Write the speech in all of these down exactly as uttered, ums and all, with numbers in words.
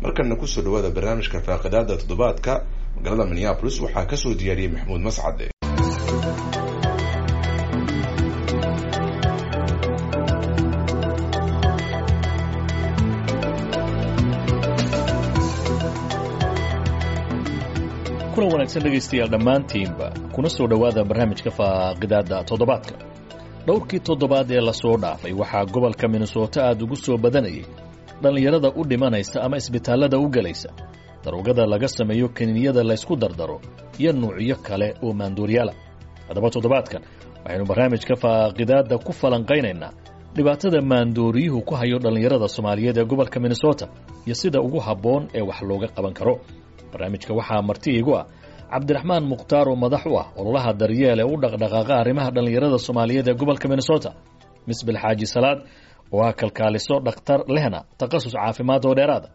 Markana kusoo dhawaada barnaamijka faaqidaada toddobaadka. Magaalada Minneapolis waxaa kasoo diyaariyey Maxamuud Mascade. Kulan wanaagsan dhegaystayaal dhammaantiinba, kuna soo dhowaada barnaamijka faaqidaada toddobaadka. Dhowrkii toddobaad ee lasoo dhaafay waxaa gobolka Minnesota aada ugu soo badanayay dhallinyarada u dhimanaysa ama isbitaallada u gelaysa daroogada laga sameeyo kaniiniyada laysku dardaro iyo nuucyo kale oo maanduuryaala. Haddaba toddobaadkan waxaynu barnaamijka faaqidaadda ku falanqaynaynaa dhibaatada maandooriyuhu ku hayo dhallinyarada Soomaaliyeed ee gobolka Minnesota iyo sida ugu habboon ee wax looga qaban karo. Barnaamijka waxaa marti iigu ah Cabdiraxmaan Mukhtaar oo madax u ah ololaha daryeel ee u dhaqdhaqaaqa arrimaha dhallinyarada Soomaaliyeed ee gobolka Minnesota, Misbil Xaaji Salaad oo ah kalkaaliso dhakhtar lehna takhasus caafimaad oo dheeraada,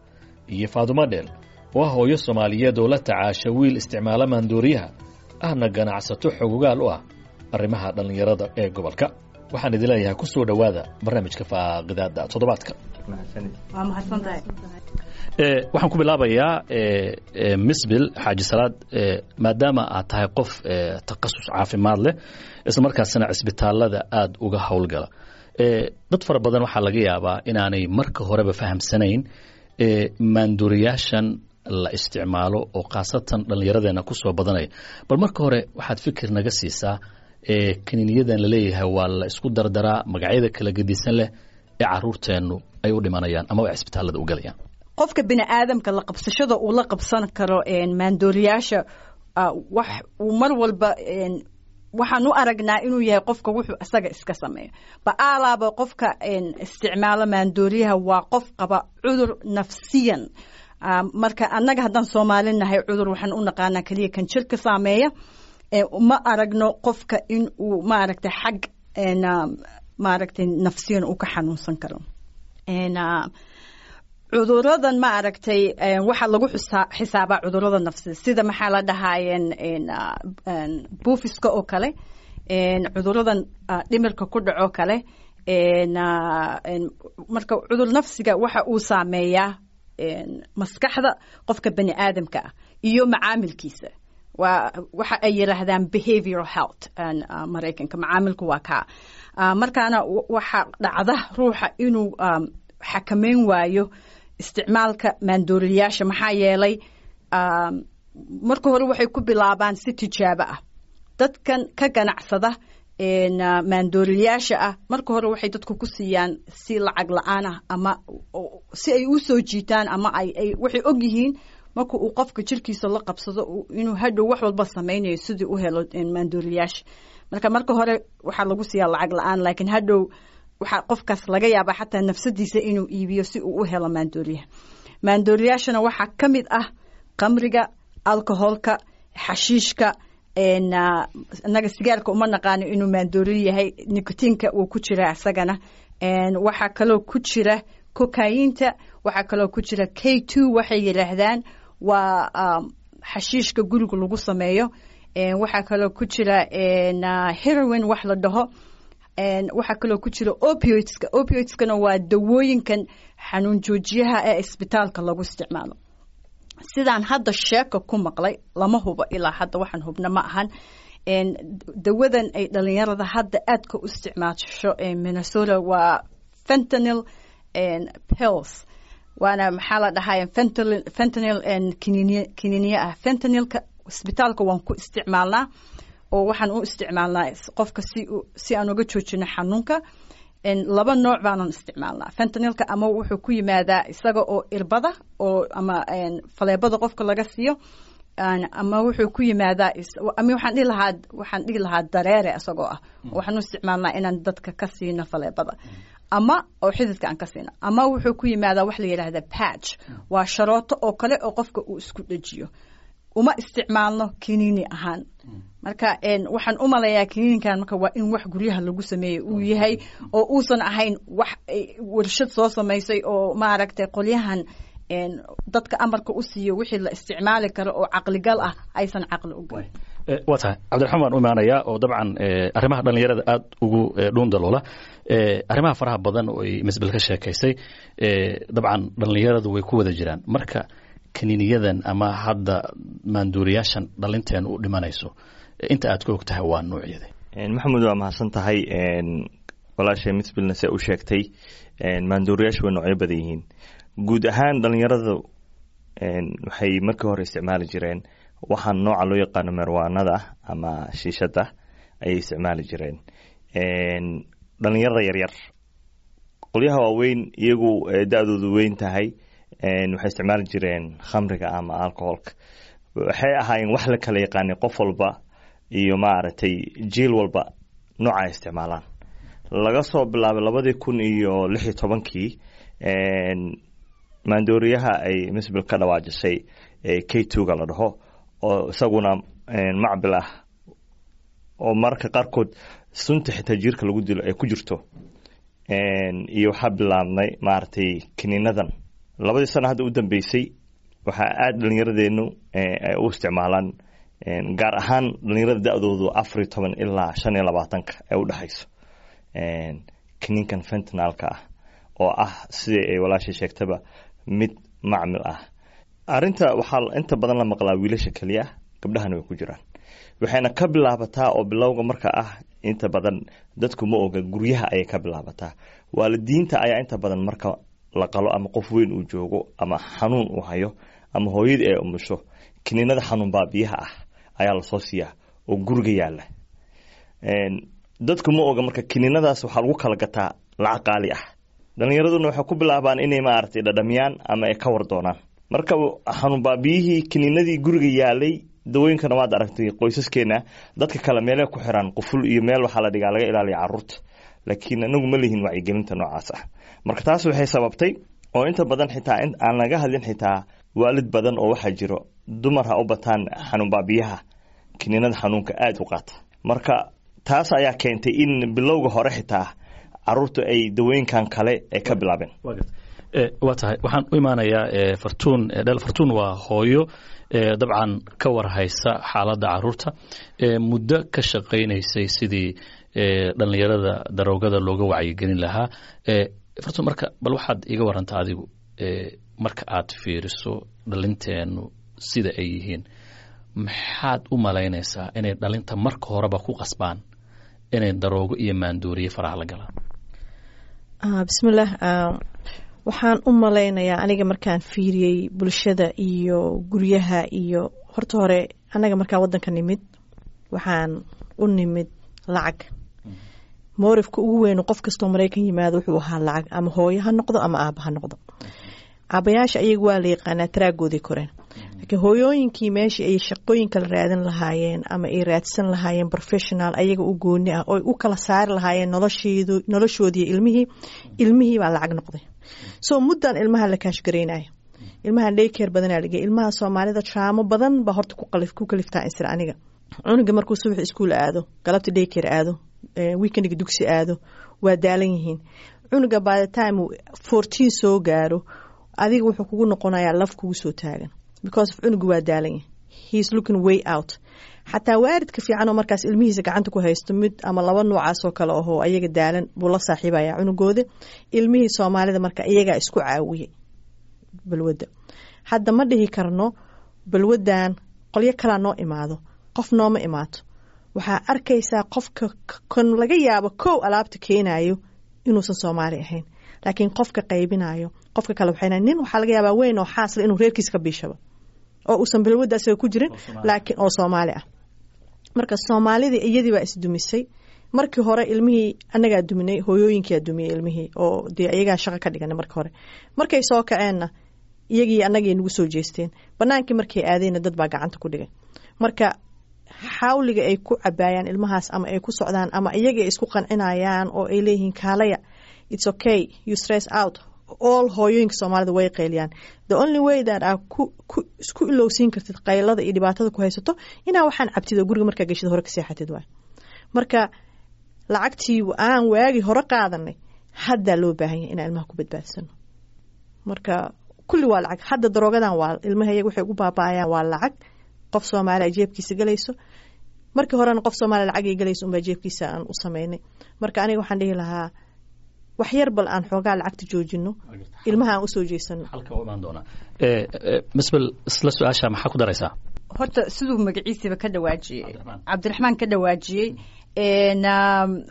iyo Faadumo Dheel oo ah hooyo Soomaaliyeed oo la tacaasha wiil isticmaala maandooriyaha, ahna ganacsato xogogaal u ah arrimaha dhallinyarada ee gobolka. Waxaan idin leeyahay ku soo dhowaada barnaamijka faaqidaada toddobaadka. Waa mahadsantahay. Waxaan ku bilaabayaa Misbil Xaaji Salaad, maadaama aad tahay qof takhasus caafimaad leh isla markaasina cisbitaalada aada uga howlgala, dad fara badan waxaa laga yaabaa inaanay marka horeba fahamsanayn maanduuriyaashan la isticmaalo oo khaasatan dhallinyaradeenna ku soo badanaya. Bal marka hore waxaad fikir naga siisaa kaniiniyadan laleeyahay waa la isku dardaraa, magacyada kala gedisan leh ee caruurteennu ay u dhimanayaan ama ay cisbitaalada u galayaan. Qofka bini aadamka la qabsashada uu la qabsan karo maandooriyaasha, wax uu mar walba waxaan u aragnaa inuu yahay qofka wuxuu isaga iska sameeyo ba-aalaaba. Qofka isticmaalo maandooriyaha waa qof qaba cudur nafsiyan. Marka annaga haddaan Soomaali nahay, cudur waxaan u naqaanaa keliya kan jirka saameeya. Ma aragno qofka in uu maaragtay xag maaragtay nafsiyan uu ka xanuunsan karo. Cuduradan ma aragtay waxaa lagu xisaabaa cudurada nafsida, sida maxaa la dhahaayeen buufiska oo kale, cuduradan dhimirka ku dhaco kale. Marka cudur nafsiga waxa uu saameeyaa maskaxda qofka bani aadamka ah iyo macaamilkiisa. Waa waxa ay yidhaahdaan behavioral health Maraykanka, macaamilku waa kaa. Markaana waxa dhacda ruuxa inuu xakameyn waayo isticmaalka maandooriyaasha, maxaa yeelay marka hore waxay ku bilaabaan si tijaabo ah. Dadkan ka ganacsada maandooriyaasha ah marka hore waxay dadku ku siiyaan si lacag la-aan ah ama si ay u soo jiitaan, ama ay waxay og yihiin marka uu qofka jirkiisa la qabsado inuu hadhow wax walba samaynayo sidii u helo maandooriyaasha. Marka marka hore waxaa lagu siiyaa lacag la-aan, laakiin hadhow waxaa qofkaas laga yaabaa xataa nafsadiisa inuu iibiyo si uu u helo maandooriyaha. Maandooriyaashana waxaa ka mid ah qamriga, alcoholka, xashiishka. Innaga sigaarka uma naqaano inuu maandooriyo yahay, nicotinka wuu ku jiraa isagana. Waxaa kaloo ku jira kokayinta, waxaa kaloo ku jira K two, waxay yidhaahdaan waa xashiishka guriga lagu sameeyo. Waxaa kaloo ku jira heroin wax la dhaho, waxaa kaloo ku jira opioidska. Opioidskana waa dawooyinkan xanuun joojiyaha ee isbitaalka lagu isticmaalo. Sidaan hadda sheeka ku maqlay, lama hubo ilaa hadda, waxaan hubna ma ahan, dawadan ay dhalinyarada hadda aadka u isticmaasho Minnesota waa fentanyl pills, waana maxaa la dhahay fentanyl fentanyl kiniiniy kiniiniye ah. Fentanylka isbitaalka waan ku isticmaalnaa oo waxaan u isticmaalnaa qofka si si aan uga joojino xanuunka. Laba nooc baanan isticmaalnaa fentanylka: ama wuxuu ku yimaadaa isaga oo irbada oo ama faleebada qofka laga siiyo, ama wuxuu ku yimaadaa ama waxaan dhihi lahaa waxaan dhihi lahaa dareere isagoo ah. Waxaan u isticmaalnaa inaan dadka ka siino faleebada ama oo xididka aan ka siino, ama wuxuu ku yimaadaa wax la yidhaahda patch, waa sharooto oo kale oo qofka uu isku dhejiyo. Uma isticmaalno kiniini ahaan. Marka waxaan u malayaa kiniinkan marka waa in wax guryaha lagu sameeyey uu yahay oo uusan ahayn wax warshad soo samaysay oo maaragtay qolyahan dadka amarka u siiyo wixii la isticmaali karo oo caqligal ah aysan caqli u galin. Waa tahay, Cabdiraxmaan baan u imaanayaa oo dabcan arrimaha dhallinyarada aada ugu dhuun daloola, arrimaha faraha badan oo ay Misbel ka sheekaysay. Dabcan dhallinyaradu way ku wada jiraan. Marka kaniiniyadan ama hadda maanduuriyaashan dhalinteen u dhimanayso, inta aad ka og tahay waa noocyada? Maxamuud, waa mahadsan tahay. Walaashay Misbilna se u sheegtay, maanduuriyaashu way noocyo badan yihiin. Guud ahaan dhalinyaradu waxay markii hore isticmaali jireen waxaan nooca loo yaqaano marijuanada ama shiishada ayay isticmaali jireen dhalinyarada yaryar. Qolyaha waaweyn iyagu da-doodu weyn tahay waxay isticmaali jireen khamriga ama alcoholka. Waxay ahaayeen wax la kala yaqaanay, qof walba iyo maaragtay jiil walba nooca ay isticmaalaan. Laga soo bilaabay labadii kun iyo lix iyo tobankii maandooriyaha ay Misbil ka dhawaajisay K two-ga la dhaho, oo isaguna macbil ah oo mararka qaarkood sunta xitaa jiirka lagu dilo ay ku jirto, iyo waxaa bilaabnay maaragtay kiniinadan labadii sano hadda u dambeysay. Waxaa aada dhalinyaradeennu ay u isticmaalaan, gaar ahaan dhalinyarada da-doodu afar iyo toban ilaa shan iyo labaatanka ay u dhexayso, kiniinkan fentanylka ah oo ah, sidii ay walaashay sheegtaba, mid macmil ah. Arrinta waxaa inta badan la maqlaa wiilasha keliya, gabdhahana way ku jiraan. Waxayna ka bilaabataa oo bilowga marka ah, inta badan dadku ma oga, guryaha ayay ka bilaabataa. Waalidiinta ayaa inta badan marka la qalo ama qof weyn uu joogo ama xanuun uu hayo ama hooyadii ay umusho, kiniinada xanuun baabiyaha ah ayaa lasoo siiyaa oo guriga yaala. Dadku ma oga, marka kiniinadaas waxaa lagu kala gataa lacag qaali ah. Dhalinyaraduna waxay ku bilaabaan inay maaragtay dhadhamiyaan ama ay ka war doonaan. Marka xanuun baabiyihii kiniinadii guriga yaalay, dawooyinkana waad aragtay, qoysaskeena dadka kale meelay ku xiraan quful iyo meel waxaa la dhigaa laga ilaaliya caruurta, laakiin anagu ma lihin wacyigelinta noocaas ah. Marka taas waxay sababtay oo inta badan xitaa aan laga hadlin, xitaa waalid badan oo waxaa jiro, dumar ha u bataan, xanuun baabiyaha kiniinada xanuunka aada u qaata. Marka taas ayaa keentay in bilowga hore xitaa caruurtu ay dawooyinkan kale ay ka bilaabeen. Waa tahay, waxaan u imaanayaa Fartuun Dheel. Fartuun waa hooyo dabcan ka warhaysa xaaladda caruurta, muddo ka shaqaynaysay sidii dhallinyarada daroogada looga wacyigelin lahaa. Fartuun, marka bal waxaad iga warantaa adigu, marka aad fiiriso dhalinteenu sida ay yihiin, maxaad u malaynaysaa inay dhalinta marka horeba ku qasbaan inay daroogo iyo maandooriye faraha la galaan? Bismillaah, waxaan u malaynayaa aniga markaan fiiriyey bulshada iyo guryaha iyo horta hore annaga markaan waddanka nimid, waxaan u nimid lacag. Motive-ka ugu weyn qof kastoo Maraykan yimaado wuxuu ahaa lacag, ama hooyo ha noqdo ama aaba ha noqdo. Aabayaasha ayaga waa la yaqaanaa, taraagooday koreen, laakiin hooyooyinkii meeshii ay shaqooyin kala raadin lahaayeen ama ay raadsan lahaayeen professional ayaga u gooni ah oo u kala saari lahaayeen nolosheedu noloshoodii ilmihii ilmihii baa lacag noqday. So muddan ilmaha la kaashgaraynaya, ilmaha daycare badanaa lagey. Ilmaha Soomaalida trauma badan baa horta ku kaliftaa insir. Aniga cunuga markuu subax iskuul aado, galabta daycare aado, weekendiga dugsi aado, waa daalan yihiin. Cunuga by the time uu fourteen soo gaaro, adiga wuxuu kugu noqonayaa laf kugu soo taagan, because of cunuga waa daalan yahay, he is looking way out. Xataa waalidka fiican oo markaas ilmihiisa gacanta ku haysto, mid ama laba noocaas oo kale ahoo ayaga daalan buu la saaxiibaya cunugooda. Ilmihii Soomaalida marka iyagaa isku caawiyey balwadda. Hadda ma dhihi karno balwaddan qolyo kalaa noo imaado, qof nooma imaato. Waxaa arkaysaa qofka kan laga yaabo kow alaabta keenayo inuusan Soomaali ahayn, laakiin qofka qaybinayo qofka kale waxayna nin waxaa laga yaabaa weyn oo xaasla inuu reerkiisa ka biishaba oo uusan balwadda asaga ku jirin, laakiin oo Soomaali ah. Marka Soomaalidii iyadii baa isdumisay. Markii hore ilmihii annagaa duminay, hooyooyinkiyaa dumiyey ilmihii oo dee iyagaa shaqo ka dhiganay. Marka hore markay soo kaceenna iyagii annagay nagu soo jeesteen. Banaankii markay aadeenna dad baa gacanta ku dhigay. Marka xawliga ay ku cabaayaan ilmahaas ama ay ku socdaan ama iyaga ay isku qancinayaan oo ay leeyihiin "Kaalaya, it's okay, you stress out all." Hooyooyinka Soomaalida way qayliyaan. The only way that aa ku ku isku ilowsiin kartid qaylada iyo dhibaatada ku haysato inaa waxaan cabtid oo guriga markaa geshid hore ka seexatid waay. Marka lacagtii aan waagi hore qaadanay haddaa loo baahan yahay inaan ilmaha ku badbaadsano. Marka kulli waa lacag. Hadda daroogadan waa ilmaha iyaga waxay ugu baaba'ayaan waa lacag qof Soomaaliya jeebkiisa galayso. Markii horena qof Soomaaliya lacag ay galaysa unbaa jeebkiisa aan u sameynay. Marka aniga waxaan dhihi lahaa wax yar bal aan xoogaa lacagta joojino, ilmaha aan usoo jeesano. Halka u imaan doonaa. Misbel, isla su-aasha maxaa ku daraysaa? Horta siduu magaciisiiba ka dhawaajiyey Cabdiraxmaan ka dhawaajiyey,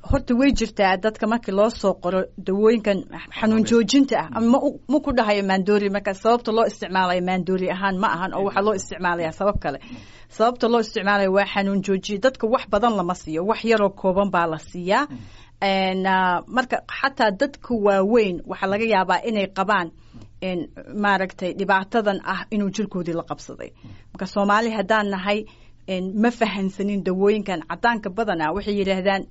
horta way jirtaa dadka markii loo soo qoro dawooyinkan xanuun joojinta ah, ama ma ku dhahayo maandoori. Marka sababta loo isticmaalayo maandoori ahaan ma ahan, oo waxaa loo isticmaalaya sabab kale. Sababta loo isticmaalayo waa xanuun joojiye. Dadka wax badan lama siiyo, wax yaroo kooban baa la siiyaa. Marka xataa dadka waaweyn waxaa laga yaabaa inay qabaan, maaragtay, dhibaatadan ah inuu jirkoodii la qabsaday. Marka Soomaali haddaan nahay ma fahansanin dawooyinkan cadaanka. Badanaa waxay yidhaahdaan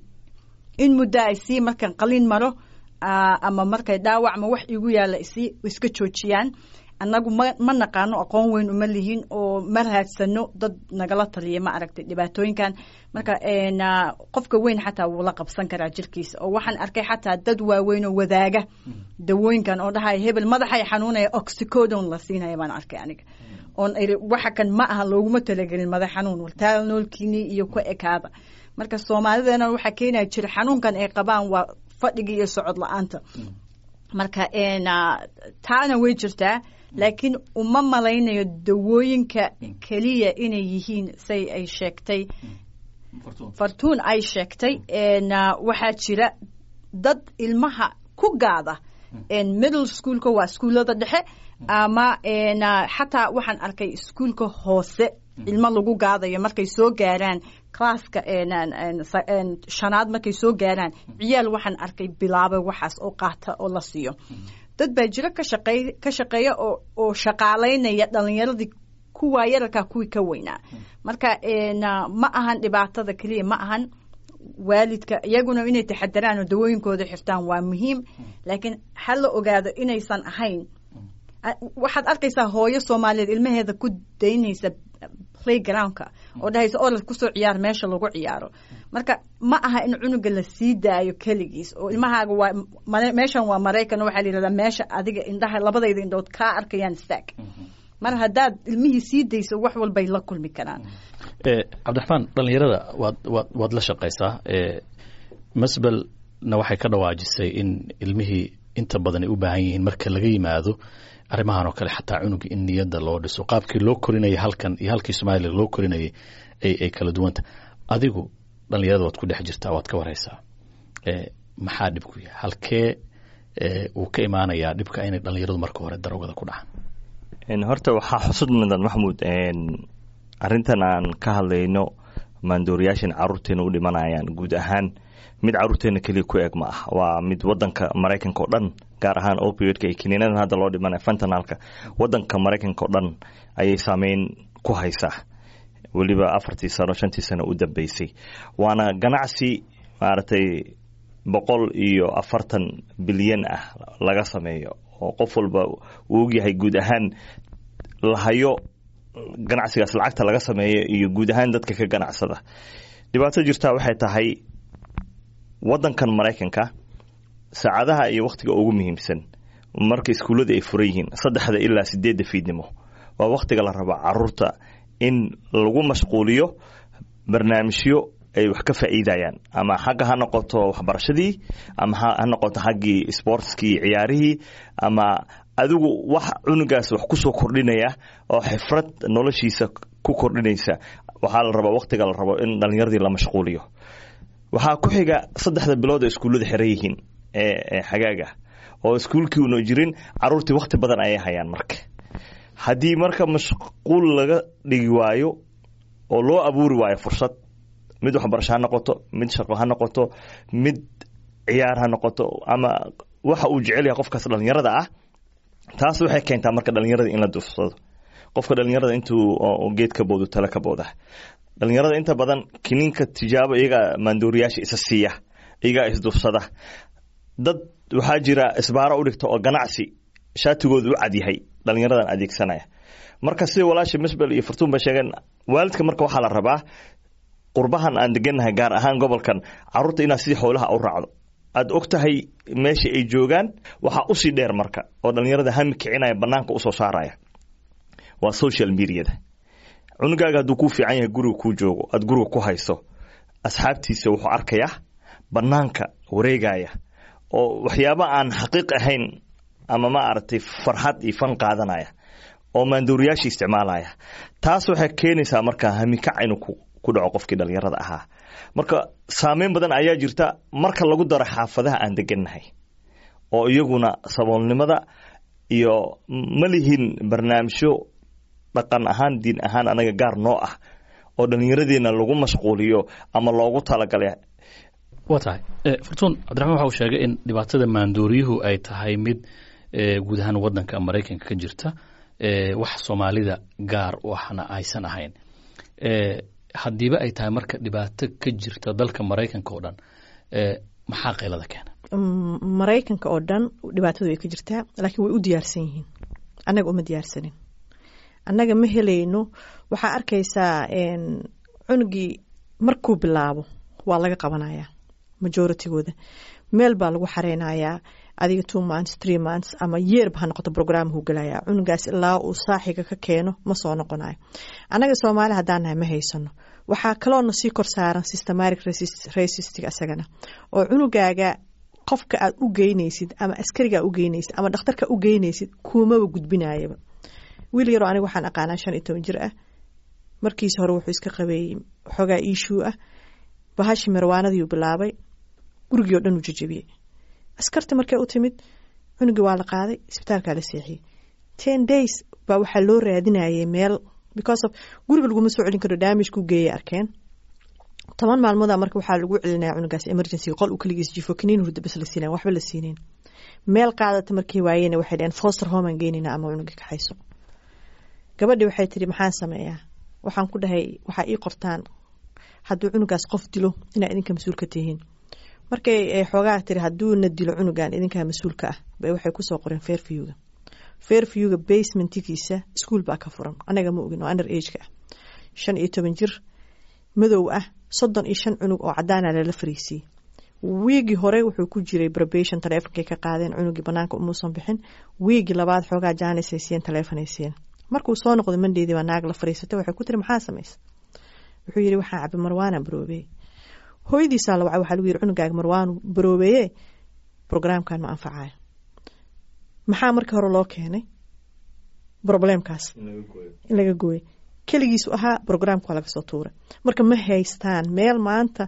in muddo ay sii markan qalin maro ama markay dhaawac ma wax igu yaalla isii iska joojiyaan. Annagu ma ma naqaano, aqoon weyn uma lihin oo ma raadsano dad nagala taliya, ma aragtay, dhibaatooyinkan. Marka qofka weyn xataa wuu la qabsan karaa jirkiisa, oo waxaan arkay xataa dad waaweyn oo wadaaga dawooyinkan oo dhahaya hebel madaxay xanuunaya, oxycodone la siinaya baan arkay aniga, oon iri waxa kan ma aha, looguma talagelin madax xanuun, Tylenolkiini iyo ku ekaada. Marka Soomaalidana waxaa keenaya jira xanuunkan ay qabaan waa fadhiga iyo socod la-aanta. Marka taana way jirtaa, laakiin uma malaynayo dawooyinka keliya inay yihiin say ay sheegtay Fartuun ay sheegtay. Waxaa jira dad ilmaha ku gaada middle schoolka, waa iskuullada dhexe, ama xataa waxaan arkay iskuulka hoose ilmo lagu gaadayo markay soo gaaraan classka shanaad. Markay soo gaaraan ciyaal waxaan arkay bilaabay waxaas oo qaata oo la siiyo. Dad baa jiro ka shaqeey ka shaqeeya oo oo shaqaalaynaya dhalinyaradii kuwaa yararkaa, kuwii ka weynaa. Marka ma ahan dhibaatada keliya, ma ahan waalidka, iyaguna inay taxadaraan oo dawooyinkooda xirtaan waa muhiim, laakiin ha la ogaado inaysan ahayn. Waxaad arkaysaa hooyo Soomaaliyeed ilmaheeda ku daynaysa playgroundka oo dhahaysa orod kusoo ciyaar meesha lagu ciyaaro. Marka ma aha in cunuga la sii daayo keligiis oo ilmahaaga waa meeshan waa Maraykan, waxaa la yidhahdaa meesha adiga indhaha labadayda indhood kaa arkayaan istaag. Mar haddaad ilmihii sii dayso wax walbay la kulmi karaan. Cabdiraxmaan, dhalinyarada waad waad waad la shaqaysaa. Masbelna waxay ka dhawaajisay in ilmihii inta badan ay u baahan yihiin, marka laga yimaado arrimahan oo kale, xataa cunuga in niyadda loo dhiso, qaabkii loo korinayay halkan iyo halkii Soomaaliya loo korinayay ay ay kala duwanta. Adigu dhalinyarada waad ku dhex jirtaa, waad ka waraysaa, maxaa dhib ku yahay? Halkee uu ka imaanayaa dhibka inay dhalinyaradu marka hore daroogada ku dhacaan? Horta waxaa xusud mudan, Maxmuud, arrintan aan ka hadlayno, maandooriyaashan caruurteena u dhimanayaan guud ahaan mid caruurteena keliya ku eg ma ah, waa mid wadanka Maraykanka oo dhan, gaar ahaan opioidka iyo kiniinadan hadda loo dhimanaya fentanylka, wadanka Maraykanka oo dhan ayay saameyn ku haysaa weliba afartii sano, shantii sano u dambeysay. Waana ganacsi maaragtay boqol iyo afartan bilyan ah laga sameeyo, oo qof walba uu ogyahay guud ahaan lahayo ganacsigaas lacagta laga sameeyo iyo guud ahaan dadka ka ganacsada. Dhibaato jirtaa waxay tahay wadankan Maraykanka saacadaha iyo wakhtiga ugu muhiimsan marka iskuullada ay furan yihiin, saddexda ilaa sideedda fiidnimo, waa wakhtiga la rabo caruurta in lagu mashquuliyo barnaamijyo ay wax ka faa'iidayaan, ama xagga ha noqoto waxbarashadii, ama ha noqoto xaggii sportskii, ciyaarihii, ama adigu wax cunugaas wax kusoo kordhinaya oo xifrad noloshiisa ku kordhinaysa. Waxaa la rabaa wakhtiga la rabo in dhalinyaradii la mashquuliyo. Waxaa ku xiga saddexda bilood oo iskuullada xiran yihiin ee xagaaga, oo iskuulkii una jirin, caruurtii wakhti badan ayay hayaan. Marka haddii marka mashquul laga dhigi waayo oo loo abuuri waayo fursad, mid waxbarasho ha noqoto, mid shaqo ha noqoto, mid ciyaar ha noqoto, ama waxa uu jecel yahay qofkaas dhalinyarada ah, taas waxay keentaa marka dhalinyarada in la duufsado. Qofka dhalinyarada intuu geed ka boodo tale ka booda. Dhalinyarada inta badan kiniinka tijaabo iyagaa maandooriyaasha isa siiya, iyagaa isduufsada. Dad waxaa jira isbaaro u dhigta oo ganacsi shaatigooda u cad yahay dhalinyaradan adeegsanaya. Marka sida walaasha Misbel iyo Fartuun ba sheegeen, waalidka marka waxaa la rabaa qurbahan aan degannahay, gaar ahaan gobolkan, caruurta inaad sidii xoolaha u raacdo, aad og tahay meesha ay joogaan. Waxaa usii dheer marka oo dhalinyarada hami kicinaya, banaanka usoo saaraya, waa social mediada. Cunugaaga hadduu kuu fiican yahay, guriga kuu joogo, aada guriga ku hayso, asxaabtiisa wuxuu arkayaa banaanka wareegaya oo waxyaaba aan xaqiiq ahayn ama ma aragtay farxad iyo fan qaadanaya oo maandooriyaasha isticmaalaya. Taas waxay keenaysaa markaa hamikac inuu ku ku dhaco qofkii dhalinyarada ahaa. Marka saameyn badan ayaa jirta marka lagu daro xaafadaha aan degannahay oo iyaguna saboolnimada iyo ma lihin barnaamijyo dhaqan ahaan, diin ahaan anaga gaar noo ah oo dhallinyaradeena lagu mashquuliyo ama loogu talagalay. Waa tahay, Fartuun. Cabdiraxmaan waxa uu sheegay in dhibaatada maandooriyuhu ay tahay mid guud ahaan waddanka Maraykanka ka jirta, wax Soomaalida gaar u ahna aysan ahayn. Haddiiba ay tahay marka dhibaato ka jirta dalka Maraykanka oo dhan, maxaa qaylada keena? Maraykanka oo dhan dhibaatadu way ka jirtaa, laakiin way u diyaarsan yihiin. Annaga uma diyaarsanin, annaga ma helayno. Waxaa arkaysaa cunugii markuu bilaabo waa laga qabanayaa majoritygooda, meel baa lagu xareynayaa adiga two months, three months ama yeerba ha noqoto, programhuu gelayaa cunugaas ilaa uu saaxiga ka keeno, ma soo noqonayo. Annaga Soomaali haddaan nahay ma haysano. Waxaa kaloona sii kor saaran systematic racism asagana, oo cunugaaga qofka aad u geynaysid ama askariga u geynaysid ama dhakhtarka u geynaysid kuumaba gudbinayaba. Wiil yaroo aniga waxaan aqaanaa shan iyo toban jir ah, markiisa hore wuxuu iska qabeeyey xoogaa issue ah, bahashi marwaanadiiu bilaabay, gurigii oo dhan uu jajabiyey. Askarta markay u timid, cunugii waa la qaaday, isbitaalkaa la seexiyey. Ten days baa waxaa loo raadinayay meel, because of guriga laguma soo celin karo, damage ku geeyay arkeen. Toban maalmooda marka waxaa lagu celinaya cunugaas emergency qol uu kaligiis jifo, kaniin hurda bas la siinayn, waxba la siinayn. Meel qaadata markay waayeen, waxay dhaheen foster home aan geynayna ama cunuga kaxayso. Gabadhii waxay tiri, maxaan sameeyaa? Waxaan ku dhahay, waxaa ii qortaan hadduu cunugaas qof dilo inaa idinka mas-uulka tihiin. Markay xoogaa tiri hadduuna dilo cunugan idinkaa mas-uulka ah, bay waxay kusoo qoreen Fairviewga. Fairviewga basementigiisa iskuol baa ka furan, anaga ma ogin, oo under ageka ah, shan iyo toban jir madow ah, soddon iyo shan cunug oo cadaana lala fariisiiyey. Wiigii hore wuxuu ku jiray probation, taleefonkay ka qaadeen cunugii, banaanka umuusan bixin. Wiigii labaad xoogaa jaanisay siiyeen, taleefonay siiyeen. Markuu soo noqday Mondaydii baa naag la fariisatay, waxay ku tiri, maxaa samaysa? Wuxuu yidhi, waxaan cabay marwaana baroobeeye. Hooyadiisaa la wacay, waxaa lagu yidhi, cunugaaga marwaanu baroobeeye, programkan ma anfacayo. Maxaa markii hore loo keenay problemkaas in laga gooyo? Keligiisu ahaa, programka waa laga soo tuuray. Marka ma haystaan meel. Maanta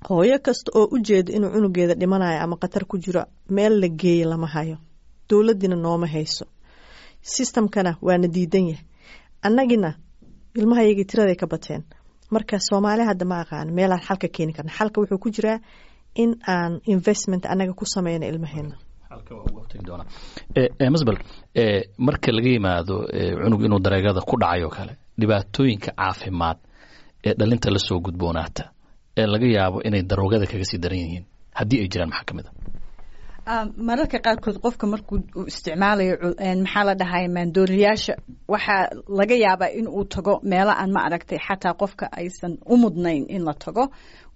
hooyo kasta oo u jeeda inuu cunugeeda dhimanayo ama khatar ku jiro, meel la geeye lama hayo. Dowladiina nooma hayso, systemkana waana diidan yahay. Annagina ilmahayagii tiraday ka bateen. Marka Soomaali hadda ma aqaan meelaan xalka keeni karna. Xalka wuxuu ku jiraa in aan investment annaga ku sameyno ilmaheena. Masbel, marka laga yimaado cunug inuu dareegada ku dhacay oo kale, dhibaatooyinka caafimaad ee dhalinta lasoo gudboonaata ee laga yaabo inay daroogada kaga sii daran yihiin haddii ay jiraan, maxaa ka mid a? Mararka qaarkood qofka markuu uu isticmaalayo, maxaa la dhahay, maandooriyaasha, waxaa laga yaabaa in uu tago meelo aan ma aragtay xataa qofka aysan u mudnayn in la tago.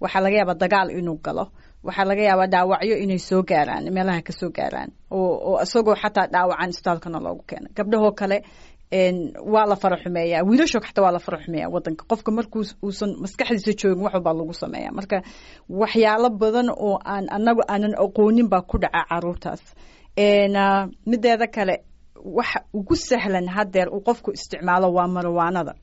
Waxaa laga yaabaa dagaal inuu galo, waxaa laga yaabaa dhaawacyo inay soo gaaraan, meelaha ka soo gaaraan, oo oo isagoo xataa dhaawacan isbitaalkana loogu keeno. Gabdhahoo kale waa la fara xumeeyaa, wiilashoo xataa waa la fara xumeeyaa. Wadanka qofka markuu uusan maskaxdiisa joogin wax walbaa lagu sameeya. Marka waxyaalo badan oo aan anagu aanan aqoonin baa ku dhaca caruurtaas. Mideeda kale, waxa ugu sahlan haddeer uu qofku isticmaalo waa marwaanada.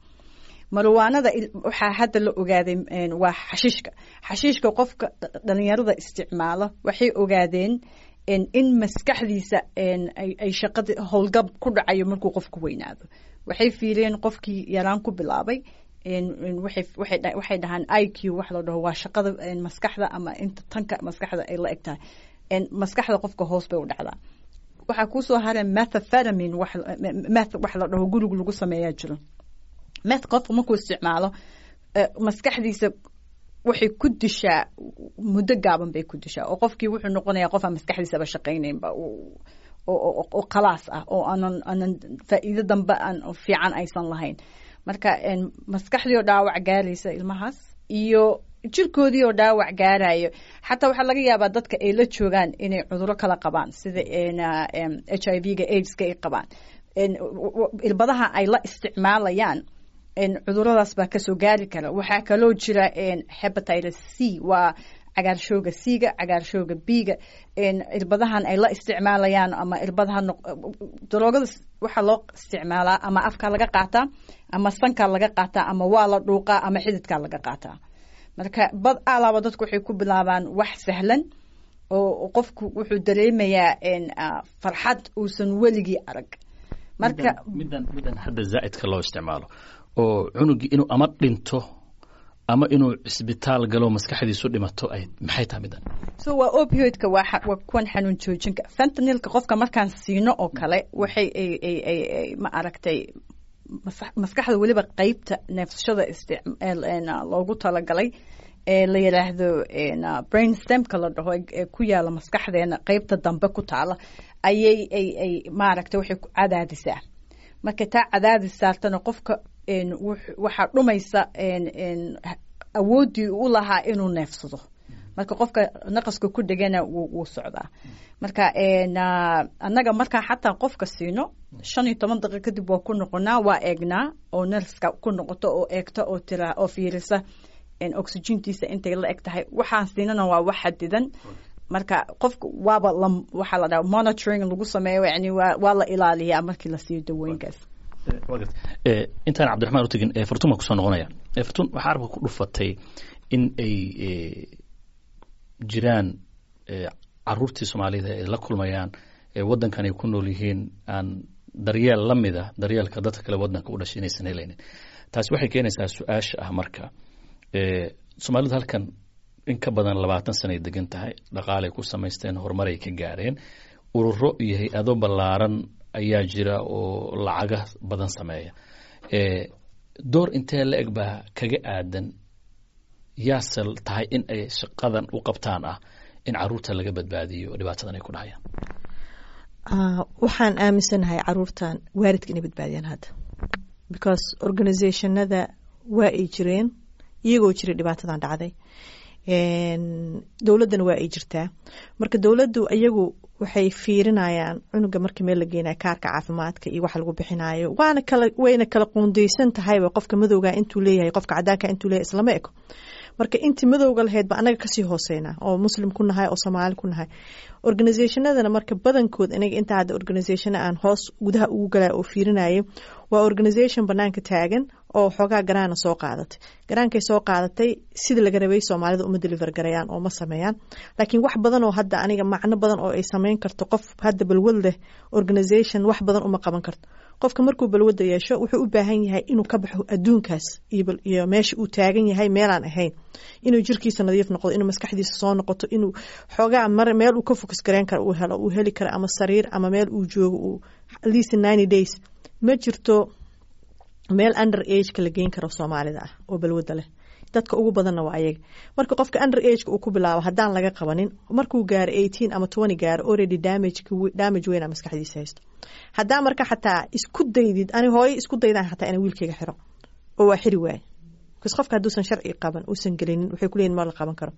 Marwaanada waxaa hadda la ogaaday waa xashiishka. Xashiishka qofka dhalinyarada isticmaalo, waxay ogaadeen in maskaxdiisa ay shaqada howlgab ku dhacayo markuu qofku weynaado. Waxay fiireen qofkii yaraan ku bilaabay, waxay dhahaan I Q wax la dhaho, waa shaqada maskaxda ama inta tanka maskaxda ay la eg tahay, maskaxda qofka hoos bay u dhacdaa. Waxaa kusoo haray methamphetamine, meth wax la dhaho guriga lagu sameeyaa jiro. Meth qofka markuu isticmaalo, maskaxdiisa waxay ku dishaa muddo gaaban bay ku dishaa, oo qofkii wuxuu noqonayaa qof aan maskaxdiisaba shaqaynaynba oo khalaas ah, oo aanan aanan faa'iido dambe aan fiican aysan lahayn. Marka maskaxdii oo dhaawac gaaraysa ilmahaas iyo jirkoodii oo dhaawac gaarayo, xataa waxaa laga yaabaa dadka ay la joogaan inay cuduro kala qabaan, sida H I V-ga, AIDska ay qabaan, irbadaha ay la isticmaalayaan. Cuduradaas baa kasoo gaari kara. Waxaa kaloo jira hepatitis C, waa cagaarshooga C-ga, cagaarshooga B-ga. Irbadahan ay la isticmaalayaan ama irbadaha, daroogada waxaa loo isticmaalaa ama afkaa laga qaataa ama sankaa laga qaataa ama waa la dhuuqaa ama xididkaa laga qaataa. Marka bad alaaba dadku waxay ku bilaabaan wax sahlan oo qofku wuxuu dareemayaa farxad uusan weligii arag. Marka midan midan hadda zaa'idka loo isticmaalo oo cunugii inuu ama dhinto ama inuu cisbitaal galo, maskaxdiisu dhimato, ay maxay tahay midan? So waa opioidka, waa waa kuwan xanuun joojinka. Fentanylka qofka markaan siino oo kale, waxay ay ay ay ay ma aragtay maskaxda, weliba qeybta neefsashada loogu talagalay ee la yidhaahdo brain stemka la dhaho ee ku yaala maskaxdeena qeybta dambe ku taala, ayay ay ay maaragtay waxay ku cadaadisaa. Markay taa cadaadis saartana, qofka waxaa dhumaysa awooddii u lahaa inuu neefsado. Marka qofka naqaska ku dhegana wuu socdaa. Marka annaga markaan xataa qofka siino, shan iyo toban daqiiq kadib waa ku noqonaa, waa eegnaa oo nerska ku noqoto oo eegta oo tira oo fiirisa oxygentiisa intay la eg tahay. Waxaan siinana waa wax xadidan. Marka qofka waaba la waxaa la dhaha monitoring lagu sameeyo, yani waa waa la ilaaliyaa markii la siiyo dawooyinkaas. Intaan Cabdiraxmaan u tegin, Fartuun baan kusoo noqonaya. Fartuun, waxaa arabka ku dhufatay in ay jiraan caruurtii Soomaalida ay la kulmayaan waddankan ay ku nool yihiin aan daryeel la mida daryeelka dadka kale waddanka u dhashay inaysan helaynin. Taasi waxay keenaysaa su-aasha ah, marka Soomaalidu halkan in ka badan labaatan sanay degan tahay, dhaqaalay ku samaysteen, horumaray ka gaareen, ururo iyo hay-ado ballaaran ayaa jira oo lacaga badan sameeya. Door intee la eg baa kaga aadan yaase tahay in ay shaqadan u qabtaan ah in caruurta laga badbaadiyo dhibaatadan ay ku dhacayaan? Waxaan aaminsanahay caruurtan waalidka inay badbaadiyaan hadda, because organizationada waa ay jireen iyagoo jiray dhibaatadan dhacday, dowladdana waa ay jirtaa. Marka dowladdu iyagu waxay fiirinayaan cunuga marka meel la geenayo, kaarka caafimaadka iyo waxa lagu bixinayo, waana kala wayna kala qoondeysan tahayba. Qofka madowga intuu leeyahay, qofka cadaanka intuu leeyahay islama eko. Marka intii madowga lahayd ba anaga kasii hooseynaa oo Muslim ku nahay oo Soomaali ku nahay. Organizationadana marka badankood, aniga inta hadda organization aan hoos gudaha ugu galay oo fiirinayay, waa organization banaanka taagan oo xoogaa garaana soo qaadatay. Garaankay soo qaadatay sida laga rabay Soomaalida uma deliver garayaan oo ma sameeyaan. Laakiin wax badan oo hadda aniga macno badan oo ay sameyn karto, qof hadda balwad leh organization wax badan uma qaban karto. Qofka markuu balwadda yeesho, wuxuu u baahan yahay inuu ka baxo adduunkaas iyo meesha uu taagan yahay meelaan ahayn, inuu jirkiisa nadiif noqdo, inuu maskaxdiisa soo noqoto, inuu xoogaa mar meel uu ka focus gareyn karo uu helo, uu heli karo ama sariir ama meel uu joogo uu at least ninety days. Ma jirto meel under ageka la geyn karo Soomaalida ah oo balwadda leh. Dadka ugu badanna waa ayaga. Marka qofka under ageka uu ku bilaabo, haddaan laga qabanin, markuu gaaro eighteen ama twenty gaaro, already damage damage weyn maskaxdiisa haysto. Haddaa marka xataa isku daydid, ani hooyo isku daydaan xataa inaan wiilkayga xiro oo waa xiri waaye, because qofka hadduusan sharci qaban uusan gelinin, waxay kuleeyihin ma la qaban karo.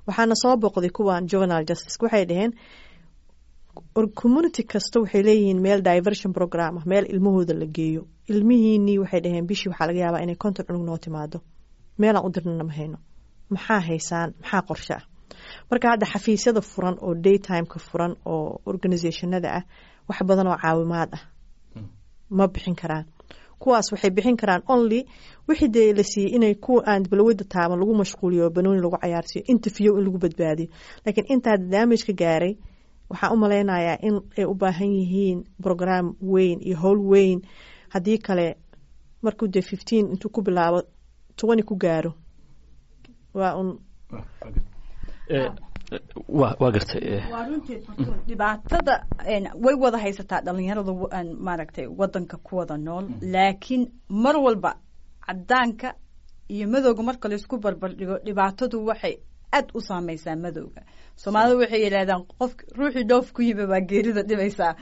Waxaana soo boqday kuwan juvenile justice. Waxay dhaheen community kasta waxay leeyihiin meel diversion program ah, meel ilmahooda la geeyo. Ilmihiinii, waxay dhaheen, bishii waxaa laga yaabaa inay konton cunug noo timaado, meelaan u dirnana ma hayno. Maxaa haysaan? Maxaa qorshe ah? Marka hadda xafiisyada furan oo daytimeka furan oo organizationada ah wax badan oo caawimaad ah ma bixin karaan. Kuwaas waxay bixin karaan only wixii dee la siiyey inay kuwa aan balwada taaban lagu mashquuliyo, banooni lagu cayaarsiiyo, interview in lagu badbaadiyo. Laakiin intaa damage ka gaaray, waxaan u malaynayaa in ay u baahan yihiin program weyn iyo howl weyn. Haddii kale, markuu dee fifteen intuu ku bilaabo twenty ku gaaro, waa un. Wa waa gartay. Waa runtii dhibaatada way wada haysataa dhalinyarada maaragtay wadanka ku wada nool, laakiin mar walba cadaanka iyo madowga marka laisku barbar dhigo, dhibaatadu waxay aad u saameysaa madowga. Soomaalida waxay yidhahdaan qof ruuxii dhoof ku yimi baa geerida dhibaysaa.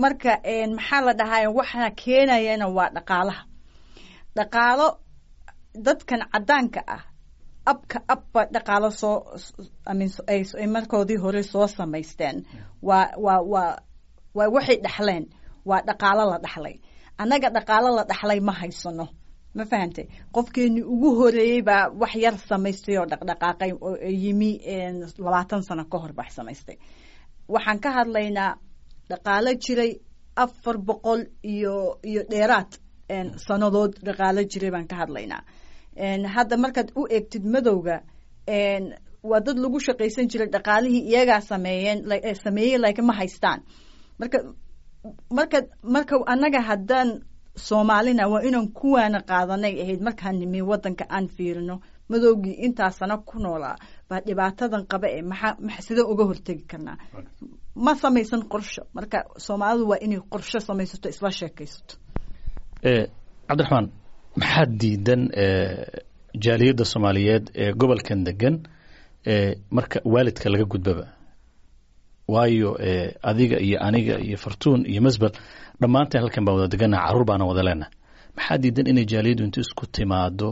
Marka maxaa la dhahay, waxaa keenayana waa dhaqaalaha. Dhaqaalo dadkan cadaanka ah abka abba dhaqaalo soo ay markoodii hore soo samaysteen, waa waa waa waa waxay dhaxleen, waa dhaqaalo la dhaxlay. Annaga dhaqaalo la dhaxlay ma haysano. Ma fahantay? Qofkeeni ugu horeeyey baa wax yar samaystay oo dhaqdhaqaaqay oo yimi labaatan sano ka hor bax samaystay. Waxaan ka hadlaynaa dhaqaalo jiray afar boqol iyo iyo dheeraad sanadood, dhaqaalo jiray baan ka hadlaynaa. Hadda markaad u eegtid madowga, waa dad lagu shaqaysan jiray, dhaqaalihii iyagaa sameeyeen, sameeyey, laakiin ma haystaan. Marka marka marka annaga haddaan Soomaalina waa inaan kuwaana qaadanay ahayd markaan nimi waddanka, aan fiirino madowgii intaa sano ku noolaa baa dhibaatadan qaba ee maxaa maxa sidee uga hortegi karnaa? Ma samaysan qorsho. Marka Soomaalidu waa inay qorsho samaysato, isla sheekaysato. Cabdiraxmaan, maxaa diidan jaaliyadda Soomaaliyeed ee gobolkan degan marka waalidka laga gudbaba? Waayo adiga iyo aniga iyo Fartuun iyo Masbel dhammaanteen halkan baan wada deganaha, carruur baana wada leenaha. Maxaa diidan inay jaaliyaddu intu isku timaado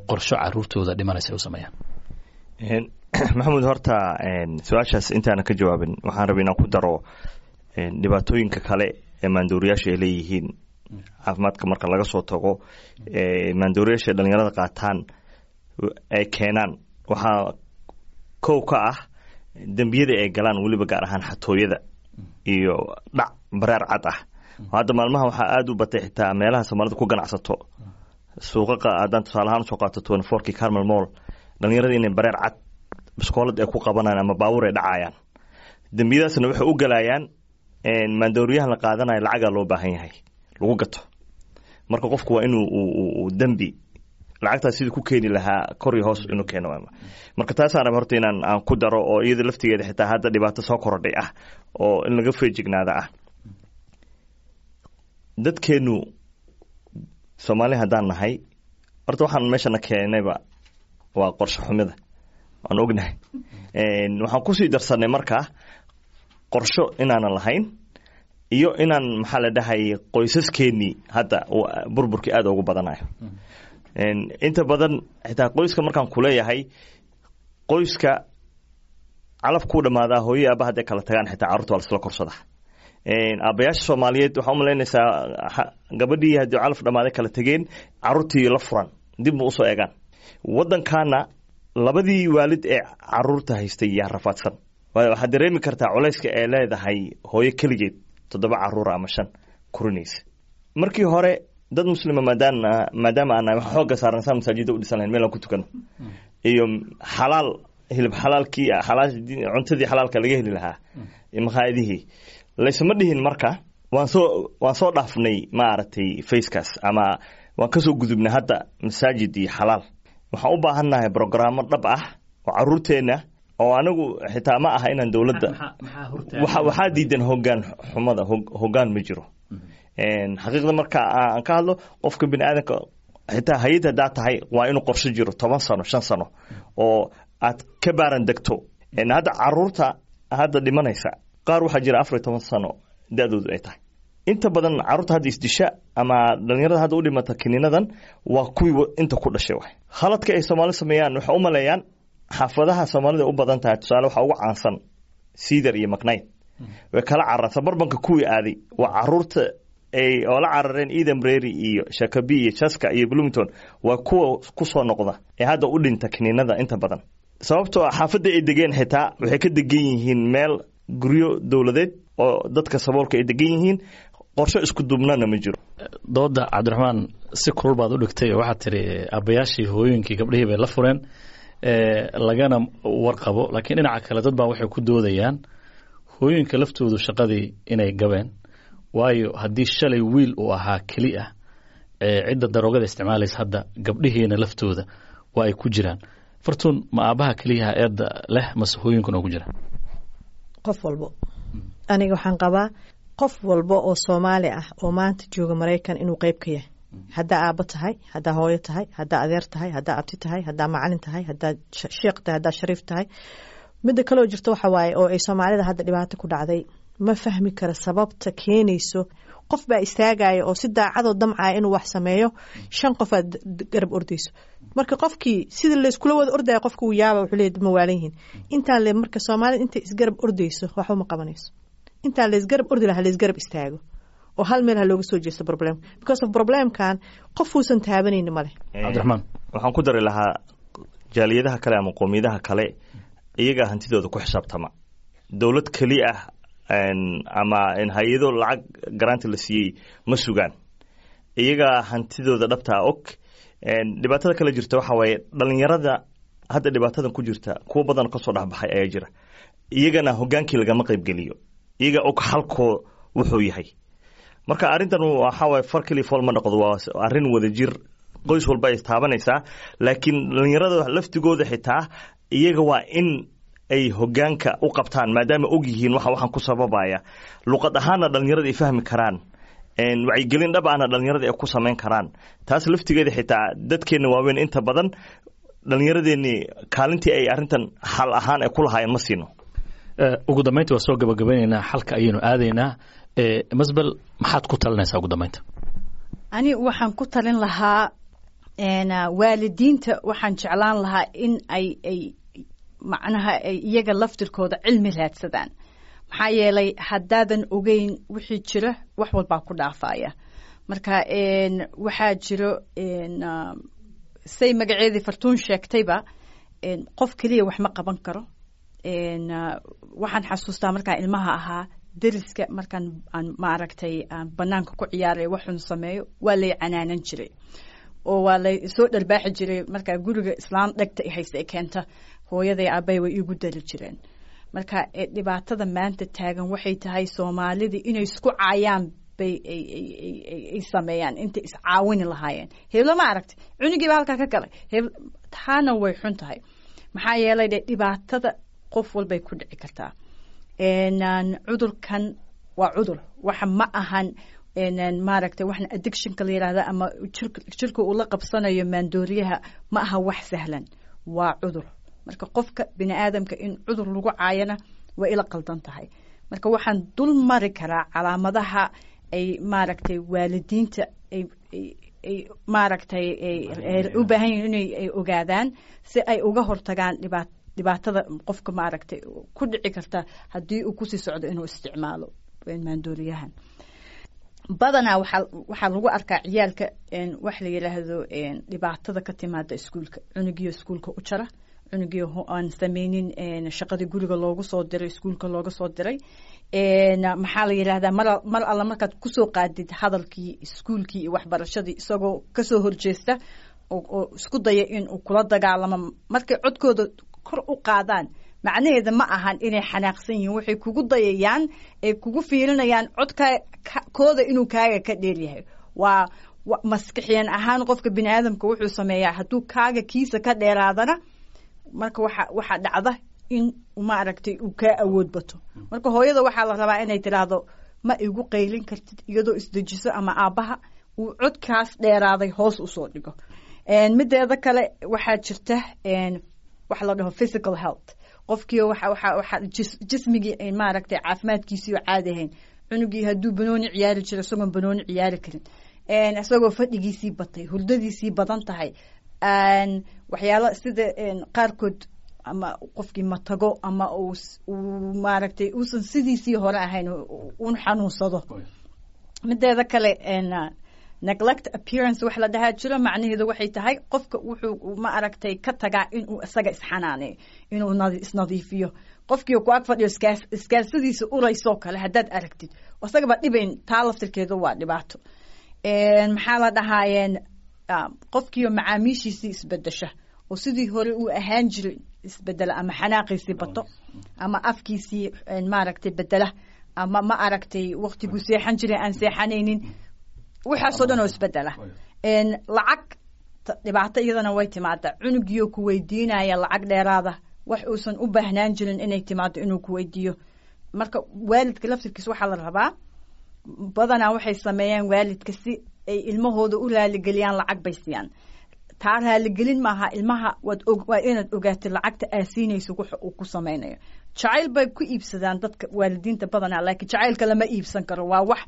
qorsho caruurtooda dhimanaysa ay u sameeyaan? Maxamuud, horta su-aashaas intaana ka jawaabin, waxaan rabay inaan ku daro dhibaatooyinka kale ee maandooriyaasha ay leeyihiin. Caafimaadka marka laga soo tago, maandooriyaasha ay dhalinyarada qaataan ay keenaan waxaa kow ka ah dembiyada ay galaan, weliba gaar ahaan xatooyada iyo dhac bareer cad ah. Hadda maalmaha waxaa aada u batay xitaa meelaha Soomaalida ku ganacsato, suuqaqa haddaan tusaale ahaan usoo qaato twenty fourkii Carmel Mall, dhalinyarada inay bareer cad biskoolad ay ku qabanayaan ama baabuur ay dhacayaan. Dembiyadaasna waxay u galayaan maandooriyahan la qaadanayo, lacagaa loo baahan yahay lagu gato. Marka qofku waa inuu uu dembi lacagtaas sidii ku keeni lahaa kor iyo hoos inuu keeno. Marka taasaan raba horta inaan aan ku daro, oo iyada laftigeeda xitaa hadda dhibaato soo korodhay ah oo in laga feejignaada ah. Dadkeenu Soomaali haddaan nahay, horta waxaan meeshana keenayba waa qorshe xumida, waan ognahay. Waxaan kusii darsanay markaa qorsho inaanan lahayn iyo inaan, maxaa la dhahay, qoysaskeenii hadda burburkii aada ugu badanayo. Inta badan xitaa qoyska markaan kuleeyahay, qoyska calaf kuu dhamaadaa, hooyo aaba hadday kala tagaan, xitaa carruurta waa lasla korsadaa. Aabayaasha Soomaaliyeed waxaa umalaynaysaa gabadhii haddii calaf dhamaaday kala tegeen, carruurtii la furan dib ma usoo eegaan. Waddankaana labadii waalid ee caruurta haystay yaa rafaadsan. Waxaad dareemi kartaa culayska ee leedahay hooyo keligeed toddoba caruura ama shan korinaysa. Markii hore dad muslima maadaama maadaama aan nahay, waxaa xoogga saaran saa masaajida u dhisan lahayn, meel aan ku tukano iyo xalaal hilib xalaalkii, xalaal cuntadii xalaalka laga heli lahaa maqaayadihii laysma dhihin. Marka waan soo waan soo dhaafnay maaragtay facekaas ama waan kasoo gudubnay. Hadda masaajid iyo xalaal waxaan u baahannahay brogaraamo dhab ah oo caruurteenna oo anigu xitaa ma aha inaan dowladda waxa waxaa diidan hoggaan xumada. Hoggaan ma jiro xaqiiqda marka aan ka hadlo. Qofka bini aadamka, xitaa hay-ad haddaa tahay, waa inuu qorsho jiro toban sano, shan sano oo aad ka baaran degto. Hadda caruurta hadda dhimanaysa qaar waxaa jira afar iyo toban sano da-doodu ay tahay. Inta badan carruurta hadda isdisha ama dhalinyarada hadda u dhimata kiniinadan waa kuwii inta ku dhashay. Waay khaladka ay Soomaali sameeyaan, waxay u maleeyaan xaafadaha Soomaalida u badan tahay. Tusaale waxaa ugu caansan Cedar iyo McKnight, way kala cararaan. Suburbanka kuwii aaday waa caruurta ay oo la carareen Eden Prairie iyo Shakopee iyo Chaska iyo Bloomington, waa kuwa kusoo noqda ee hadda u dhinta kiniinada inta badan, sababtoo ah xaafadda ay degeen xitaa waxay ka degan yihiin meel guryo dowladeed oo dadka saboolka ay degan yihiin. Qorsho isku duubnana ma jiro. Dooda Cabdiraxmaan si kulul baad u dhigtay oo waxaad tiri aabbayaashii hooyooyinkii gabdhihii bay la fureen lagana warqabo, laakiin dhinaca kale dad baa waxay ku doodayaan hooyooyinka laftoodu shaqadii inay gabeen, waayo haddii shalay wiil uu ahaa keli ah cidda daroogada isticmaalaysa, hadda gabdhihiina laftooda waa ay ku jiraan. Fartuun, ma aabbaha keliyaha eedda leh mase hooyinkuna oo ku jira? Qof walbo, aniga waxaan qabaa qof walba oo Soomaali ah oo maanta jooga Maraykan inuu qeyb ka yahay. Haddaa aabbo tahay, haddaa hooyo tahay, haddaa adeer tahay, haddaa abti tahay, haddaa macalin tahay, haddaa sheekh tahay, haddaa shariif tahay. Midda kaloo jirta waxa waaye oo ay Soomaalida hadda dhibaato ku dhacday, ma fahmi kara sababta keenayso. Qof baa istaagaya oo si daacadoo damcaya inuu wax sameeyo, shan qof aad garab ordayso. Marka qofkii sida layskula wada ordaya, qofka uu yaaba, wuxuu leeyahy ma waalan yihiin intaan le. Marka Soomaalida intay isgarab ordayso waxba ma qabanayso. Intaan laysgarab ordi lahaa laysgarab istaago. Oo hal meel ha looga soo jeesto problem, because of problemkan qof uusan taabanayni male. Cabdiraxmaan. Waxaan ku dari lahaa jaaliyadaha kale ama qoomiyadaha kale, iyagaa hantidooda ku xisaabtama. Dowlad keli ah ama hay-ado lacag garaanta la siiyey ma sugaan, iyagaa hantidooda dhabtaa og. Dhibaatada kale jirta waxaa waaye dhalinyarada hadda dhibaatadan ku jirta, kuwo badan kasoo dhexbaxay ayaa jira, iyagana hogaankii lagama qaybgeliyo, iyaga og halkoo wuxuu yahay. Marka arrintan waxaa waaye far keli fool ma noqdo, waa arrin wadajir, qoys walba ay taabanaysaa, laakiin dhalinyarada laftigooda xitaa iyaga waa in ay hogaanka u qabtaan, maadaama og yihiin waxa waxaan ku sababaya, luqad ahaanna dhalinyarada ay fahmi karaan, wacyigelin dhab ahna dhalinyarada ay ku samayn karaan. Taas laftigeeda xitaa dadkeenna waaweyn inta badan dhalinyaradeenni kaalintii ay arrintan xal ahaan ay ku lahaayeen ma siino. Ugu dambaynta waa soo gabagabeynaynaa, xalka ayaynu aadaynaa. Masbel, maxaad ku talinaysaa ugu dambaynta? Ani waxaan ku talin lahaa waalidiinta, waxaan jeclaan lahaa in ay ay macnaha ay iyaga laftirkooda cilmi raadsadaan, maxaa yeelay haddaadan ogeyn wixii jira, wax walbaa ku dhaafaya. Marka waxaa jiro, say magaceedii Fartuun sheegtayba, qof keliya wax ma qaban karo. Waxaan xasuustaa markaan ilmaha ahaa, deriska markaan aan maaragtay aan banaanka ku ciyaaray waxun sameeyo, waa lay canaanan jiray oo waa lay soo dharbaaxi jiray. Markaa guriga islaam dhegta hayse ee keenta hooyaday aabay way iigu dari jireen. Marka dhibaatada maanta taagan waxay tahay Soomaalidii inay isku caayaan bay ay sameeyaan intay iscaawini lahaayeen. Heblo ma aragtay, cunigiiba halkaa ka galay heb, taana way xun tahay, maxaa yeelay de dhibaatada qof walbay ku dhici kartaa. Cudurkan waa cudur, waxa ma ahan maaragtay waxna addictionka la yidhahda ama jirka uu la qabsanayo maandooriyaha, ma aha wax sahlan, waa cudur. Marka qofka bini aadamka in cudur lagu caayana waa ila qaldan tahay. Marka waxaan dul mari karaa calaamadaha ay maaragtay waalidiinta ay ay maaragtay ay u baahan yihin inay ay ogaadaan si ay uga hortagaan dhibaat dhibaatada qofka maaragtay ku dhici karta haddii uu kusii socdo inuu isticmaalo maandooriyahan. Badanaa waxaa waxaa lagu arkaa ciyaalka wax la yidhaahdo dhibaatada ka timaada iskuulka, cunugiyo iskuulka u jara, cunugiyo aan sameynin shaqadii guriga loogu soo diray, iskuulka looga soo diray. Maxaa la yidhahdaa, mar mar alla markaad kusoo qaadid hadalkii iskuulkii iyo waxbarashadii, isagoo kasoo horjeesta oo isku daya in uu kula dagaalamo. Markay codkooda kor u qaadaan, macnaheeda ma ahan inay xanaaqsan yihiin, waxay kugu dayayaan ay kugu fiirinayaan codka kooda inuu kaaga ka dheeryahay. Waa maskixiyan ahaan qofka bini aadamka wuxuu sameeyaa hadduu kaaga kiisa ka dheeraadana, marka waxa waxaa dhacda in maaragtay uu kaa awood bato. Marka hooyada waxaa la rabaa inay tiraahdo "Ma igu qaylin kartid," iyadoo isdejiso, ama aabbaha uu codkaas dheeraaday hoos usoo dhigo. Mideeda kale waxaa jirta waxa la dhaho physical health, qofkii waxa waxa waxa jismigii maaragtay caafimaadkiisii oo caadi ahayn, cunugii hadduu banooni ciyaari jiro isagoon banooni ciyaari karin, isagoo fadhigiisii batay, hurdadiisii badan tahay, waxyaalo sida qaarkood, ama qofkii matago ama uu uu maaragtay uusan sidiisii hore ahayn, un xanuunsado. Mideeda kale neglect appearance wax la dhahaa jiro, macnaheedu waxay tahay qofka wuxuu ma aragtay ka tagaa inuu isaga isxanaaneeyo, inuu isnadiifiyo. Qofkii ku ag fadhiyo iskaalsadiisa uraysoo kale haddaad aragtid, isagaba dhibayn, taa laftirkeedu waa dhibaato. Maxaa la dhahaayeen, qofkiio macaamiishiisii isbedesha oo sidii hore uu ahaan jiray isbedela, ama xanaaqiisii bato, ama afkiisii maaragtay bedela, ama ma aragtay waktiguu seexan jiray aan seexanaynin, waxaasoo dhan oo isbedela. Lacag dhibaato iyadana way timaadaa, cunugiio ku weydiinaya lacag dheeraada, wax uusan u baahnaan jirin inay timaado inuu ku weydiiyo. Marka waalidka laftirkiisa waxaa la rabaa, badanaa waxay sameeyaan waalidka si ay ilmahooda u raaligeliyaan lacag bay siiyaan. Taa raaligelin maaha. Ilmaha waad og waa inaad ogaatid lacagta aa siinayso waxa uu ku sameynayo. Jacayl bay ku iibsadaan dadka waalidiinta badanaa, laakiin jacaylka lama iibsan karo, waa wax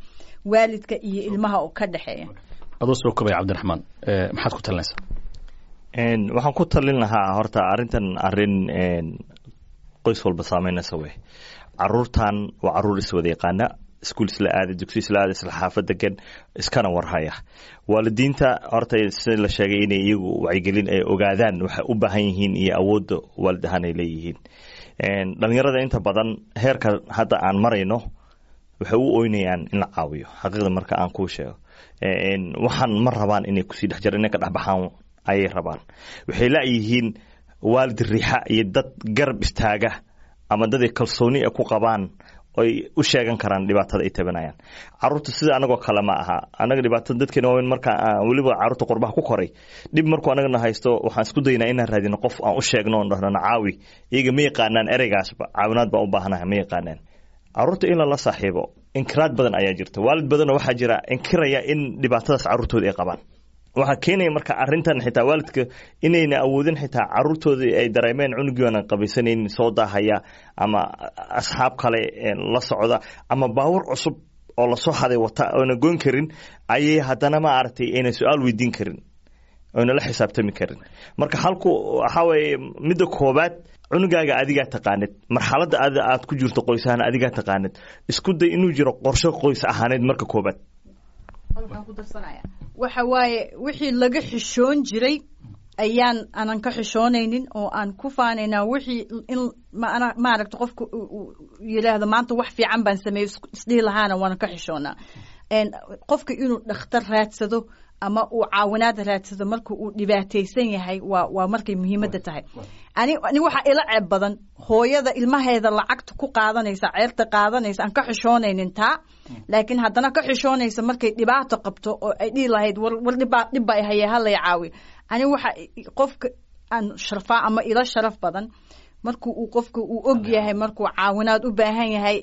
waalidka iyo ilmaha oo ka dhexeeya. Adoo soo kobaya, Cabdiraxmaan, maxaad ku talinaysaa? Waxaan ku talin lahaa horta arrintan arrin qoys walba saameynaysa wey. Caruurtan waa caruur iswada yaqaana. Iskuul isla aaday, dugsi isla aaday, isla xaafad degan, iskana warhaya. Waalidiinta horta sida la sheegay inay iyagu wacyigelin ay ogaadaan waxay u baahan yihiin iyo awoodda waalid ahaan ay leeyihiin. Dhalinyarada inta badan heerka hadda aan marayno waxay u oynayaan in la caawiyo. Xaqiiqda marka aan kuu sheego, waxaan ma rabaan inay kusii dhex jiraan, inay ka dhexbaxaan ayay rabaan. Waxay la'yihiin waalid riixa iyo dad garab istaaga ama dad ay kalsooni ku qabaan oy u sheegan karaan dhibaatada ay tabanayaan. Caruurta sida anagoo kale ma aha. Anaga dhibaatada dadkeena waaweyn marka weliba caruurta qurbaha ku koray, dhib markuu anagana haysto waxaan isku daynaa inaan raadino qof aan u sheegno oon dhahno nacaawi. Iyaga ma yaqaanaan ereygaasba, caawinaad baan u baahanahay ma yaqaanaan. Caruurta in lala saaxiibo, inkiraad badan ayaa jirta. Waalid badanoo waxaa jira inkiraya in dhibaatadaas caruurtooda ay qabaan. Waxaa keenaya marka arrintan xitaa waalidka inayna awoodin, xitaa caruurtoodii ay dareemeen cunugii aanan qabaysanaynin, soo daahaya ama asxaab kale la socda ama baawur cusub oo lasoo haday wata oona goyn karin, ayay haddana ma aragtay ayna su-aal weydiin karin oyna la xisaabtami karin. Marka halku waxaa weeye, midda koobaad, cunugaaga adigaa taqaanid, marxaladda ad aad ku jirto qoys ahaan adigaa taqaanid. Isku day inuu jiro qorshe qoys ahaaneed marka koobaad. Waxa waaye wixii laga xishoon jiray ayaan aanan ka xishoonaynin oo aan ku faanaynaa. Wixii in maana maaragta qofka yidhaahdo maanta wax fiican baan sameeyey isdhihi lahaana waanan ka xishoonaa. Qofka inuu dhakhtar raadsado ama uu caawinaad raadsado marka uu dhibaataysan yahay waa waa markay muhiimadda tahay. Ani ani waxaa ila ceeb badan hooyada ilmaheeda lacagta ku qaadanaysa, ceerta qaadanaysa, aan ka xishoonaynin taa, laakiin haddana ka xishoonaysa markay dhibaato qabto oo ay dhihi lahayd war war dhibbaa dhib baa haye halay caawiyo. Ani waxa qofka aan sharfaa ama ila sharaf badan markuu uu qofka uu og yahay markuu caawinaad u baahan yahay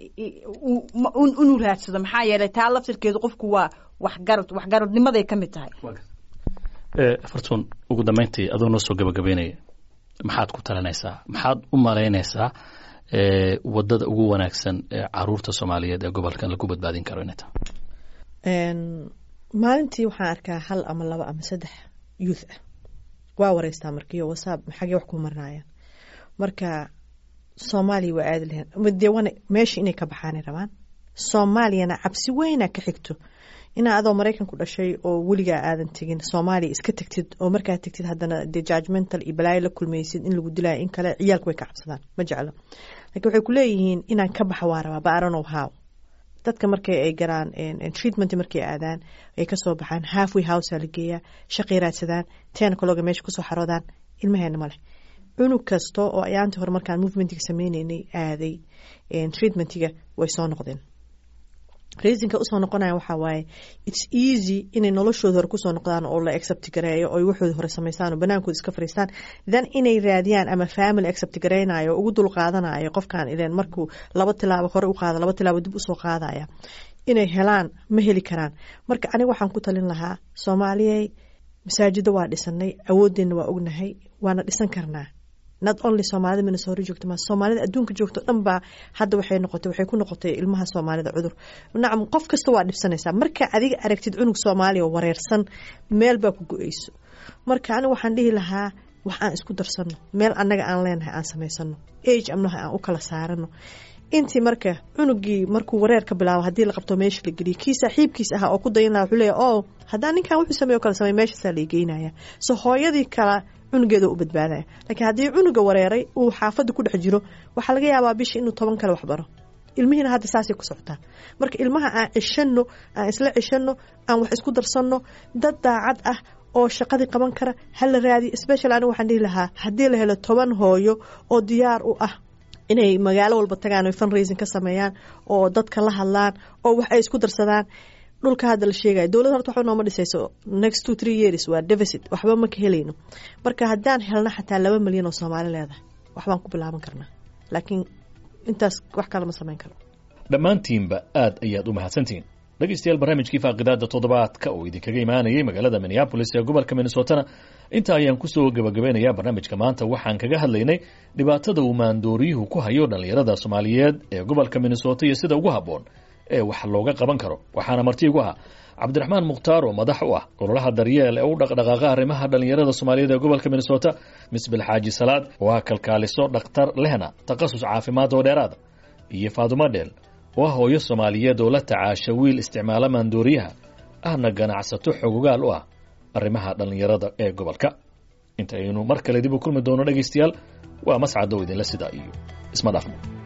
inuu raadsado, maxaa yeelay taa laftirkeedu qofku waa waxgarad, waxgaradnimaday ka mid tahay. Fartuun, ugu dambeyntii adoo noo soo gabagabeynaya, maxaad ku talinaysaa, maxaad u malaynaysaa wadada ugu wanaagsan ee caruurta Soomaaliyeed ee gobolkan lagu badbaadin karo inay tahay? Maalintii waxaan arkaa hal ama laba ama saddex youth ah, waa wareystaa markiyo wasaab xagee wax ku marnaayaan. Marka Soomaaliya waa aadi lahayn, dee wana meesha inay ka baxaanay rabaan. Soomaaliyana cabsi weyna ka xigto inaa adoo Maraykan ku dhashay oo weligaa aadan tegin Soomaaliya iska tagtid, oo markaa tagtid haddana dee judgmental iyo balaayo la kulmaysid, in lagu dilaayo in kale. Ciyaalku way ka cabsadaan, ma jeclo, lakiin waxay ku leeyihiin inaan ka baxa waa rabaa, but I don't know how. Dadka markay ay galaan treatment, markay aadaan ay kasoo baxaan, halfway house la geeyaa, shaqay raadsadaan, ten o'clock meesha kusoo xaroodaan. Ilmaheena ma leh cunug kasta oo ayaantii hore markaan movementiga sameyneynay aaday treatmentiga way soo noqdeen. Reasonka usoo noqonaya waxaa waaye it's easy inay noloshooda hore kusoo noqdaan oo la accept gareeyo oo waxooda hore samaystaan oo banaankooda iska fariistaan, then inay raadiyaan ama family accept gareynayo oo ugu dul qaadanayo qofkan, ileen markuu laba tilaabo hore u qaado laba tilaabo dib usoo qaadaya inay helaan ma heli karaan. Marka aniga waxaan ku talin lahaa, Soomaaliyey, masaajida waa dhisanay, awoodeenna waa ognahay, waana dhisan karnaa. Not only Soomaalida Minnesota joogto, ma Soomaalida adduunka joogto dhan baa hadda waxay noqotay, waxay ku noqotay ilmaha Soomaalida cudur. Nacam, qof kasta waa dhibsanaysaa marka adiga aragtid cunug Soomaaliya oo wareersan, meel baa ku go-eyso. Marka aniga waxaan dhihi lahaa wax aan isku darsano, meel annaga aan leenahay aan samaysano, age amnaha aan u kala saarano intii. Marka cunugii markuu wareer ka bilaabo haddii la qabto meesha la geliyo, kii saaxiibkiis ahaa oo ku dayan lahaa wuxuu leeyahay, oh, haddaan ninkan wuxuu sameeyo kala samey, meeshaasaa la geynaya. So hooyadii kala cunugeeda u badbaadaya. Laakiin haddii cunuga wareeray uu xaafadda ku dhex jiro, waxaa laga yaabaa bishii inuu toban kale waxbaro. Ilmihiina hadda saasay ku socotaa. Marka ilmaha aan ceshano, aan isla ceshano, aan wax isku darsanno, dad daacad ah oo shaqadii qaban kara hala raadiyo. Special aniga waxaan dhihi lahaa haddii la helo toban hooyo oo diyaar u ah inay magaalo walba tagaan oy fundraising ka sameeyaan oo dadka la hadlaan oo wax ay isku darsadaan. Dhulka hadda la sheegaya dowladda horta waxba nooma dhisayso, next two three years waa deficit, waxba ma ka helayno. Marka haddaan helno xataa laba milyan oo Soomaali leedahay, waxbaan ku bilaaban karnaa, laakiin intaas wax kale ma samayn karo. Dhammaantiinba aad ayaad u mahadsantihiin dhegaystayaal. Barnaamijkii faaqidaada toddobaadka oo idinkaga imaanayay magaalada Minneapolis ee gobolka Minnesotana inta ayaan kusoo gabagabeynayaa. Barnaamijka maanta waxaan kaga hadlaynay dhibaatada uu maandooriyuhu ku hayo dhallinyarada Soomaaliyeed ee gobolka Minnesota iyo sida ugu habboon ee wax looga qaban karo. Waxaana marti igu ahaa Cabdiraxmaan Mukhtaar oo madax u ah ololaha Daryeel ee u dhaqdhaqaaqa arrimaha dhallinyarada Soomaaliyeed ee gobolka Minnesota, Misbil Xaaji Salaad oo ah kalkaaliso dhakhtar lehna takhasus caafimaad oo dheeraada, iyo Faadumo Dheel oo ah hooyo Soomaaliyeed oo la tacaasha wiil isticmaala maandooriyaha, ahna ganacsato xogogaal u ah arrimaha dhallinyarada ee gobolka. Inta aynu mar kale dib u kulmi doono dhegaystayaal, waa Mascadow idinla sidaa iyo isma dhaafno.